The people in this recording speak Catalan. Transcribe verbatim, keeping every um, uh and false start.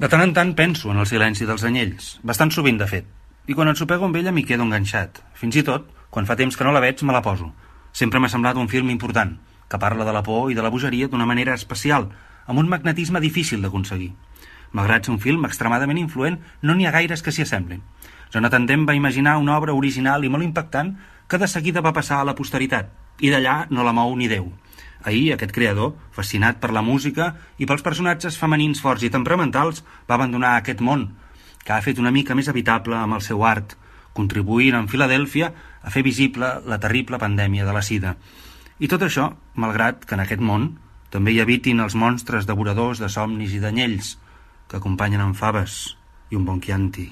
De tant en tant penso en el silenci dels anyells, bastant sovint de fet, i quan ensopego amb ella m'hi quedo enganxat. Fins i tot, quan fa temps que no la veig, me la poso. Sempre m'ha semblat un film important, que parla de la por i de la bogeria d'una manera especial, amb un magnetisme difícil d'aconseguir. Malgrat ser un film extremadament influent, no n'hi ha gaires que s'hi assemblin. Jonathan Demme va imaginar una obra original i molt impactant que de seguida va passar a la posteritat, i d'allà no la mou ni Déu. Ahir, aquest creador, fascinat per la música i pels personatges femenins forts i temperamentals, va abandonar aquest món, que ha fet una mica més habitable amb el seu art, contribuint en Filadèlfia a fer visible la terrible pandèmia de la sida. I tot això, malgrat que en aquest món també hi habitin els monstres devoradors de somnis i d'anyells, que acompanyen amb faves i un bon Chianti.